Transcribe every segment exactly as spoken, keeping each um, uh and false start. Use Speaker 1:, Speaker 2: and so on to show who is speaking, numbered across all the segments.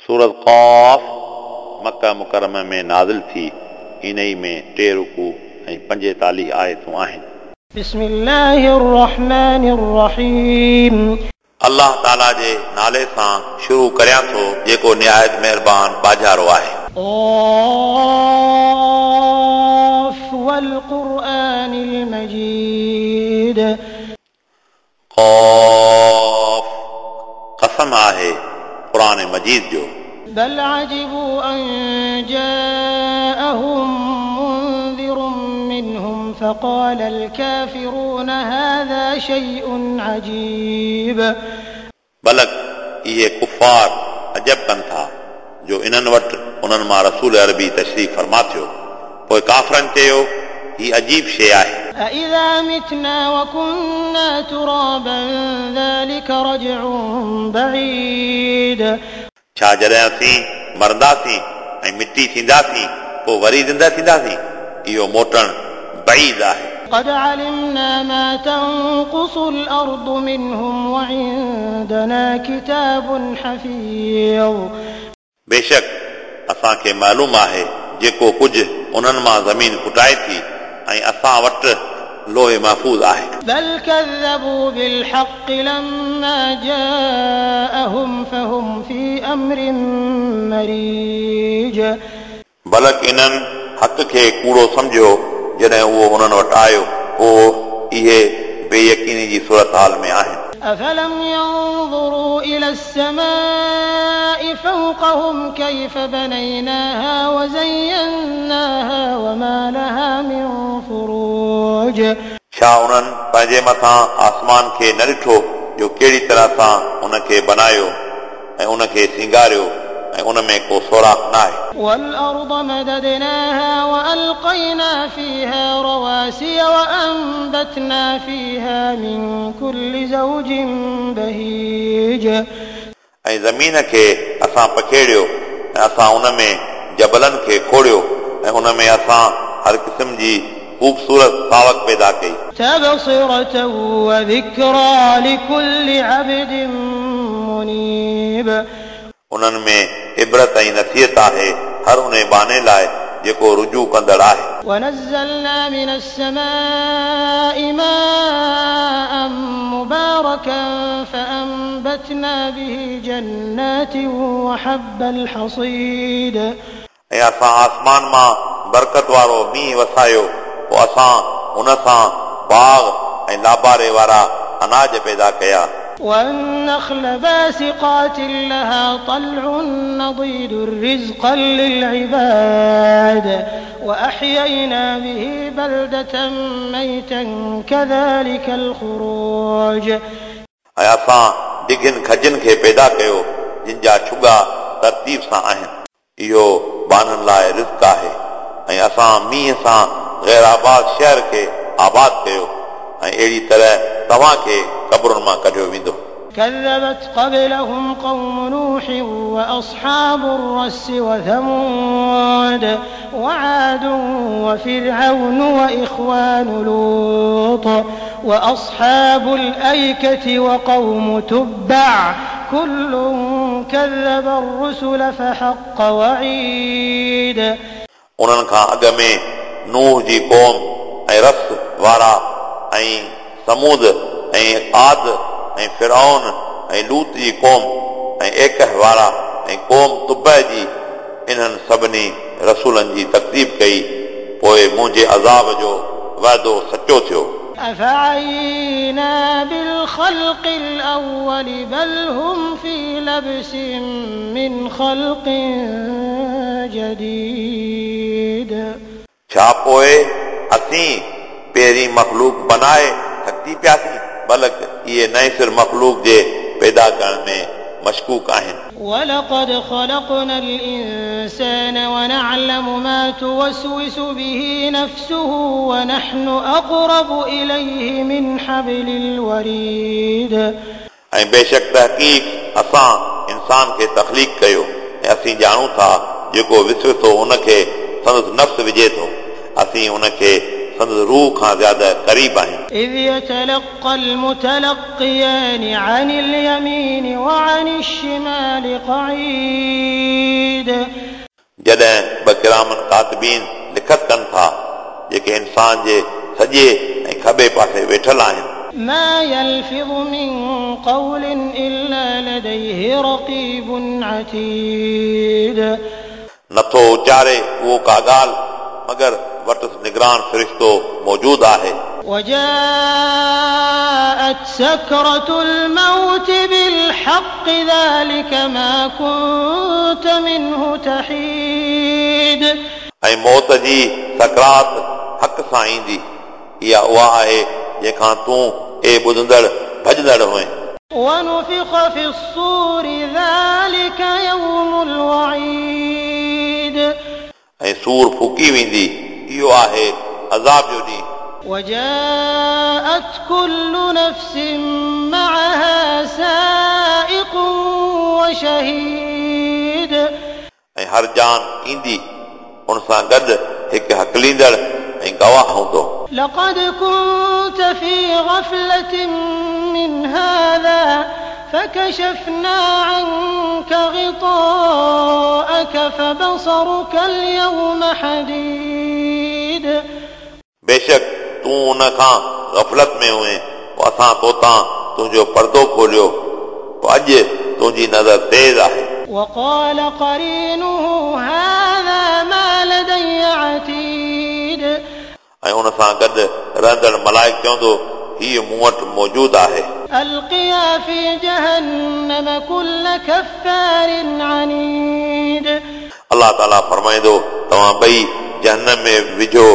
Speaker 1: सूरत क़ाफ़ मक्का मुकर्रमा में नाज़िल थी। इन्ही में टे रुकू ऐं पंजेतालीह आयतूं आहिनि।
Speaker 2: बिस्मिल्लाहिर्रहमानिर्रहीम।
Speaker 1: अल्लाह ताला जे नाले सां शुरू करियां थो जेको निहायत महिरबान बाजारो आहे।
Speaker 2: क़ाफ़ वल क़ुरआनिल मजीद।
Speaker 1: क़ाफ़ कसम आहे क़ुरान मजीद जो।
Speaker 2: बल अजिबू अन जाअहुम मुनज़िरुम मिनहुम फ़क़ाल अल-काफ़िरून हाज़ा शैउन अजीब।
Speaker 1: बलक इहे कुफ़ार अजब कनि था जो इन्हनि वटि उन्हनि मां रसूल अरबी तशरीफ़ फरमा थियो, पोइ काफ़रनि चयो ही अजीब शइ आहे।
Speaker 2: अइज़ा मितना वकुन्ना तुराबन ज़ालिका रजउन बईद।
Speaker 1: छा जॾहिं असीं मरंदासीं ऐं मिटी थींदासीं पोइ वरी ज़िंदा थींदासीं? इहो मोटणु बईद आहे।
Speaker 2: क़द अलिमना मा तंक़ुसुल अर्दु मिनहुम वइंदना किताबुन हफ़ीज़।
Speaker 1: बेशक असांखे मालूम आहे जेको कुझु उन्हनि मां ज़मीन कुटाए थी ऐं असां वटि लोहे महफ़ूज़ आहे।
Speaker 2: बल कज़्ज़बू बिलहक़्क़ि लम्मा जाअहुम फ़हुम फ़ी अम्रिन मरीज।
Speaker 1: बलक इन्हनि हक़ खे कूड़ो सम्झियो जॾहिं उहो उन्हनि वटि आयो, पोइ इहे बेयकीनी जी सूरत हाल में आहिनि।
Speaker 2: अफलम यंज़ुरू इला अस्समाइ फ़ौक़हुम कैफ़ बनैनाहा वज़य्यन्नाहा वमा लहा मिन फ़ुरूज।
Speaker 1: छा उन्हनि पंहिंजे मथां आसमान खे न ॾिठो जो कहिड़ी तरह सां उनखे बनायो ऐं उनखे सिंगारियो ऐं उन में को सुराख न आहे।
Speaker 2: वल-अर्द मददनाहा वअल्क़ैना फ़ीहा रवासिय वअंबतना फ़ीहा मिन कुल्लि ज़ौजिन बहीज।
Speaker 1: ऐं ज़मीन खे असां पखेड़ियो ऐं असां उन में जबलनि खे खोड़ियो ऐं उन में असां हर क़िस्म जी ख़ूबसूरत सावक पैदा कई।
Speaker 2: तबसिरतन वज़िक्रा लिकुल्लि अब्दिन मुनीब।
Speaker 1: उन्हनि में इबरत ऐं नसीहत आहे हर उन बाने लाइ जेको रुजू कंदड़ आहे।
Speaker 2: वनज़्ज़लना मिनस-समाइ माअन मुबारकन फ़अंबतना बिही जन्नातिन वहब्बल हसीद।
Speaker 1: ऐं असां आसमान मां बरकत वारो मींहुं वसायो, पोइ असां उन सां बाग़ ऐं लाबारे वारा अनाज पैदा कया।
Speaker 2: والنخل باسقات لها طلع نضيد رزقا للعباد وأحيينا به بلدة ميتا كذلك الخروج।
Speaker 1: ऐं असां डिघनि खजनि खे पैदा कयो जिन जा छुगा तरतीब सां आहिनि, इहो बाननि लाइ रिज़्क आहे। ऐं असां मींहुं सां ग़ैर आबाद शहर खे आबाद कयो ऐं अहिड़ी तरह तव्हांखे क़बरुनि मां कढियो वेंदो।
Speaker 2: कज़्ज़बत क़ब्लहुम क़ौम नूह वअस्हाबु अर्रस वथमूद वआद वफ़िरऔन वइख़्वानु लूत वअस्हाबुल अयकति वक़ौम तुब्बअ कुल्लुन कज़्ज़ब अर्रुसुल फ़हक़्क़ वईद।
Speaker 1: उन्हनि खां अॻु में नूह जी क़ौम ऐं रस वारा ऐं समूद ऐं आद ऐं फिरौन ऐं लूत जी क़ौम ऐं एकह वारा ऐं क़ौम तुबह जी, इन्हनि सभिनी रसूलनि जी तकदीब कई, पोइ मुंहिंजे अज़ाब जो वाइदो सचो थियो।
Speaker 2: अफ़अयीना बिलख़ल्क़िल अव्वल बल हुम फ़ी लब्सिन मिन ख़ल्क़िन जदीद।
Speaker 1: छा पोइ असीं पहिरीं मख़लूक बनाए थकी पियासीं? बलक इहे नए सिर मख़लूक जे पैदा करण में मशकूक आहिनि।
Speaker 2: वलक़द ख़लक़नल इंसान वनअलमु मा तुवसविसु बिही नफ़्सुहु वनहनु अक़रबु इलैहि मिन हब्लिल वरीद।
Speaker 1: ऐं बेशक तहक़ीक़ असां इंसान खे तख़लीक़ कयो ऐं असीं ॼाणूं था जेको विसविसो उनखे संदसि नफ़्स विझे थो, असीं उनखे संदसि रूह खां ज़्यादा क़रीब आहियूं।
Speaker 2: إذ يتلقى المتلقيان عن اليمين وعن الشمال قعيد
Speaker 1: जॾहिं ॿ किरामन कातिबीन लिखत कनि था जेके इंसान जे सॼे ऐं खॿे पासे वेठल आहिनि।
Speaker 2: ما يلفظ من قول إلا لديه رقيب عتيد
Speaker 1: नथो उचारे उहो का ॻाल्हि मगर वटसि निगरान फ़रिश्तो मौजूद आहे।
Speaker 2: وجاءت سكرة الموت بالحق ذلك ما كنت منه تحيد
Speaker 1: ऐं मौत जी सकरात हक़ सां ईंदी, इहा उहा आहे जंहिंखां तूं ए ॿुधंदड़ भॼंदड़ हुए।
Speaker 2: ونفخ في الصور ذلك يوم الوعيد
Speaker 1: ऐं सूर फूकी वेंदी, इहो आहे अज़ाब जो ॾींहुं।
Speaker 2: وجاءت كل نفس معها سائق وشهيد
Speaker 1: ऐं हर जान ईंदी उन सां गॾु हिकु हकलींदड़ ऐं गवाह हूंदो।
Speaker 2: لقد كنت في غفلة من هذا فكشفنا عنك غطاءك فبصرك اليوم حديد
Speaker 1: बेशक तूं उन खां गफ़लत में हुए, पोइ असां तोतां तुंहिंजो पर्दो खोलियो, पोइ अॼु तुंहिंजी नज़र तेज़ आहे।
Speaker 2: وقال قرينه هذا ما لدي عتيد
Speaker 1: ऐं उन सां गॾु रहंदड़ मलाइक चवंदो हीउ मूं वटि मौजूदु आहे।
Speaker 2: ألقيا في جهنم كل كفار عنيد
Speaker 1: अल्लाह ताला फरमाईंदो तव्हां ॿई जहन्नम में विझो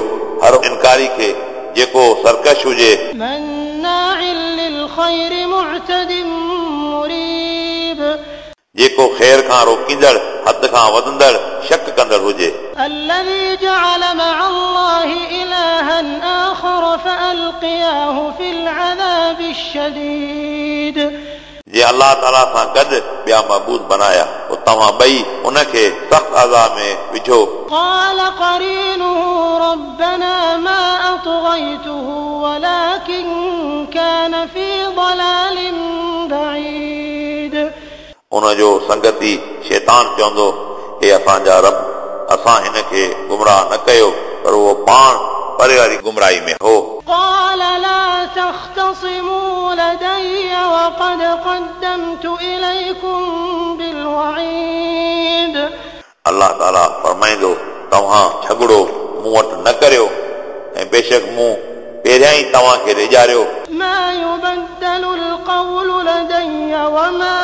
Speaker 1: हर इनकारी खे जेको सरकश हुजे।
Speaker 2: مناع للخير معتد مريب
Speaker 1: जेको ख़ैर खां रोकींदड़ हद खां वधंदड़ शक कंदड़ हुजे।
Speaker 2: الذي جعل مع الله إلها آخر فألقياه في العذاب الشديد
Speaker 1: जे अल्लाह ताला सां गॾु ॿिया महबूद बनाया, पोइ तव्हां ॿई उनखे सख़्त अज़ाब में विझो।
Speaker 2: قال قرينه ربنا ما أطغيته ولكن كان في ضلال بعيد
Speaker 1: उनजो संगती शैतान चवंदो हे असांजा रब, असां हिन खे गुमराह न कयो, पर उहो पाण परे वारी गुमराही में हो।
Speaker 2: قال لا تختصموا لدي وقد قدمت إليكم بالوعيد
Speaker 1: अल्लाह ताला फरमाईंदो तव्हां झगड़ो मूं वटि न करियो, ऐं बेशक मूं पहिरियां ई तव्हांखे रिॼारियो।
Speaker 2: ما يبدل القول لدي وما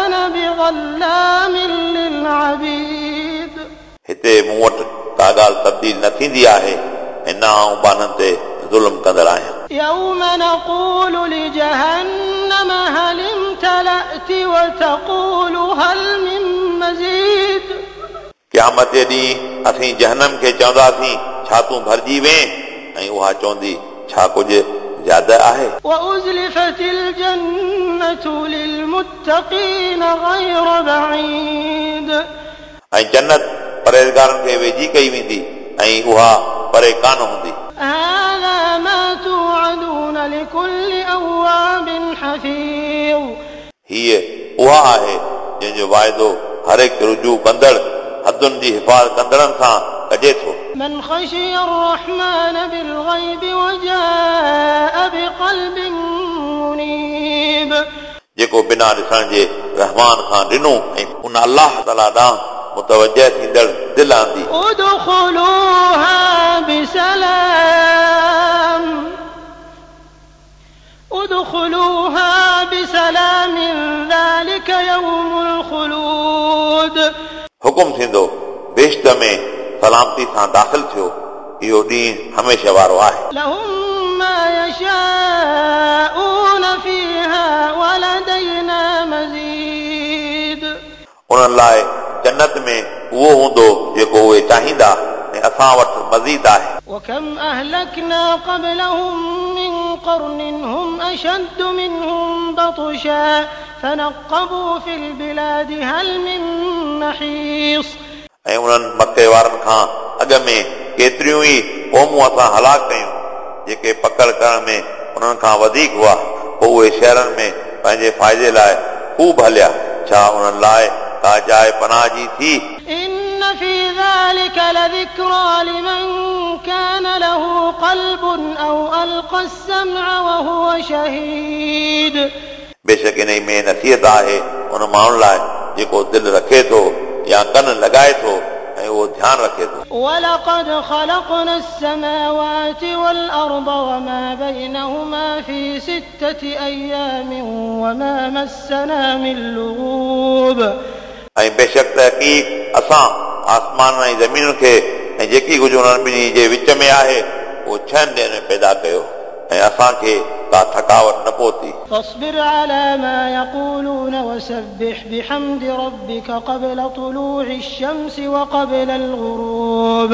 Speaker 2: أنا بظلام للعبيد
Speaker 1: हिते मूं वटि का ॻाल्हि तब्दील न थींदी आहे ऐं न आउं ॿारनि ते ज़ुल्म कंदड़ आहियां।
Speaker 2: يوم نقول لجهنم هل امتلأت وتقول هل من مزيد
Speaker 1: क़यामत जे ॾींहुं असीं जहनम खे चवंदासीं छा तूं भरिजी वें, ऐं उहा चवंदी छा कुझु ज़्यादा आहे।
Speaker 2: وأزلفت الجنة للمتقين غير بعيد
Speaker 1: ऐं जन्नत परहेज़गारनि खे वेझी कई वेंदी ऐं उहा परे कान हूंदी।
Speaker 2: هذا ما توعدون لكل أواب حفيظ
Speaker 1: हीअ उहा आहे जंहिंजो वाइदो हर हिकु रुजू कंदड़ हदुनि जी हिफ़ाज़त कंदड़नि सां कजे थो।
Speaker 2: من خشي الرحمن بالغيب وجاء بقلب منيب
Speaker 1: जेको बिना ॾिसण जे रहमान खां ॾिनो ऐं उन अल्लाह ताला ॾांहुं मुतवजह थींदड़ दिलि आंदी।
Speaker 2: ادخلوها بسلام ادخلوها بسلام ذلك يوم الخلود
Speaker 1: हुकुम थींदो बेश्त में सलामती सां दाख़िल थियो, इहो ॾींहुं हमेशह वारो आहे।
Speaker 2: لهم ما يشاءون فيها ولدينا مزيد
Speaker 1: उन्हनि लाइ जन्नत में उहो हूंदो जेको उहे चाहींदा ऐं असां वटि मज़ीद आहे।
Speaker 2: وكم أهلكنا قبلهم من قرن هم أشد منهم بطشا فنقبوا في البلاد هل من محيص
Speaker 1: ऐं उन्हनि मक्के वारनि खां अॻ में केतिरियूं ई क़ौमूं असां हलाक कयूं जेके पकड़ करण में उन्हनि खां वधीक हुआ, पोइ उहे शहरनि में पंहिंजे फ़ाइदे लाइ ख़ूब हलिया, छा उन्हनि लाइ का जाइ पनाह जी थी?
Speaker 2: إن في ذلك لذكرى لمن كان له قلب أو ألقى السمع وهو شهيد.
Speaker 1: बेशक इन में नसीहत आहे उन माण्हुनि लाइ जेको दिलि रखे थो या कन लॻाए थो ऐं उहो ध्यानु रखे थो।
Speaker 2: ولقد خلقنا السماوات والأرض وما بينهما في ستة أيام وما مسنا من لغوب.
Speaker 1: ऐं बेशक तहक़ीक़ असां आसमान ऐं ज़मीन खे ऐं जेकी कुझु उन्हनि ॿिन्ही जे विच में आहे उहो छहनि ॾींहनि में पैदा कयो ऐं असांखे का थकावट न पहुती।
Speaker 2: فاصبر على ما يقولون وسبح بحمد ربك قبل طلوع الشمس وقبل الغروب.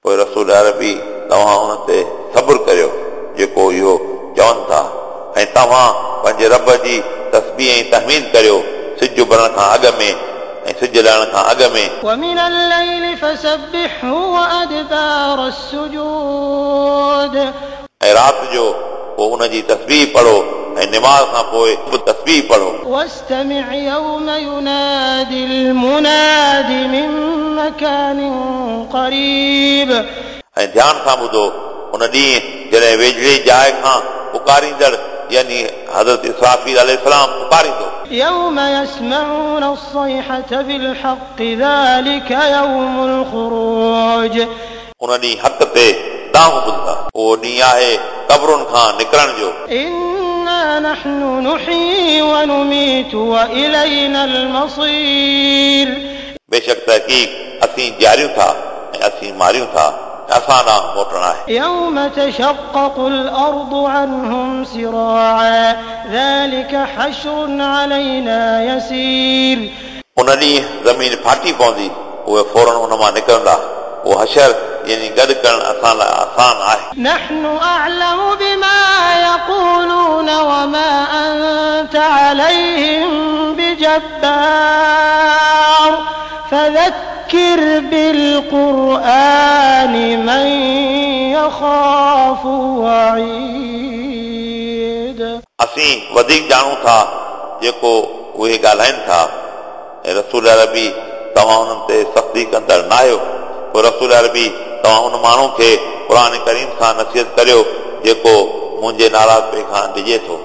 Speaker 1: पोइ रसूल अरबी तव्हां उन ते सब्र करियो जेको इहो चवनि था ऐं तव्हां पंहिंजे रब जी तस्बीह ऐं तहमीद करियो सिज उभरण खां अॻु में ऐं सिज लहण खां अॻु में।
Speaker 2: ومن الليل فسبحه وأدبار السجود.
Speaker 1: ऐं राति जो पोइ उन जी तस्बीह पढ़ो ऐं निमाज़ खां पोइ बि तस्बीह पढ़ो।
Speaker 2: واستمع يوم ينادي المناد من مكان قريب.
Speaker 1: ऐं ध्यान सां ॿुधो उन ॾींहुं जॾहिं वेझड़े जाइ खां पुकारींदड़ यानी हज़रत इसराफ़ील अलैहिस्सलाम पुकारींदो।
Speaker 2: يوم يسمعون الصيحة بالحق ذلك يوم الخروج.
Speaker 1: उन ॾींहुं हक़ ते दांहुं ॿुधंदा। उहो ॾींहुं आहे क़बरुनि खां निकिरण जो।
Speaker 2: إنا نحن نحيي ونميت وإلينا المصير.
Speaker 1: बेशक तहक़ीक़ असीं जीआरियूं था ऐं असीं मारियूं था असां ॾांहुं मोटणु आहे।
Speaker 2: يوم تشقق الأرض عنهم سراعا ذلك حشر علينا يسير.
Speaker 1: उन ॾींहुं ज़मीन फाटी पवंदी उहे फ़ौरन उन मां निकिरंदा। उहो हशर यानी गॾु करणु असां लाइ आसान आहे।
Speaker 2: نحن أعلم بما يقولون وما أنت عليهم بجبار فذكر بالقرآن من يخاف وعيد.
Speaker 1: असीं वधीक ॼाणूं था जेको उहे ॻाल्हाइनि था। ऐं रसूल अरबी तव्हां उन्हनि ते सख़्ती कंदड़ न आहियो। पोइ रसूल अरबी तव्हां उन माण्हू खे क़ुर करीम सां नसीहत करियो जेको मुंहिंजे नाराज़पे खां डिॼे थो।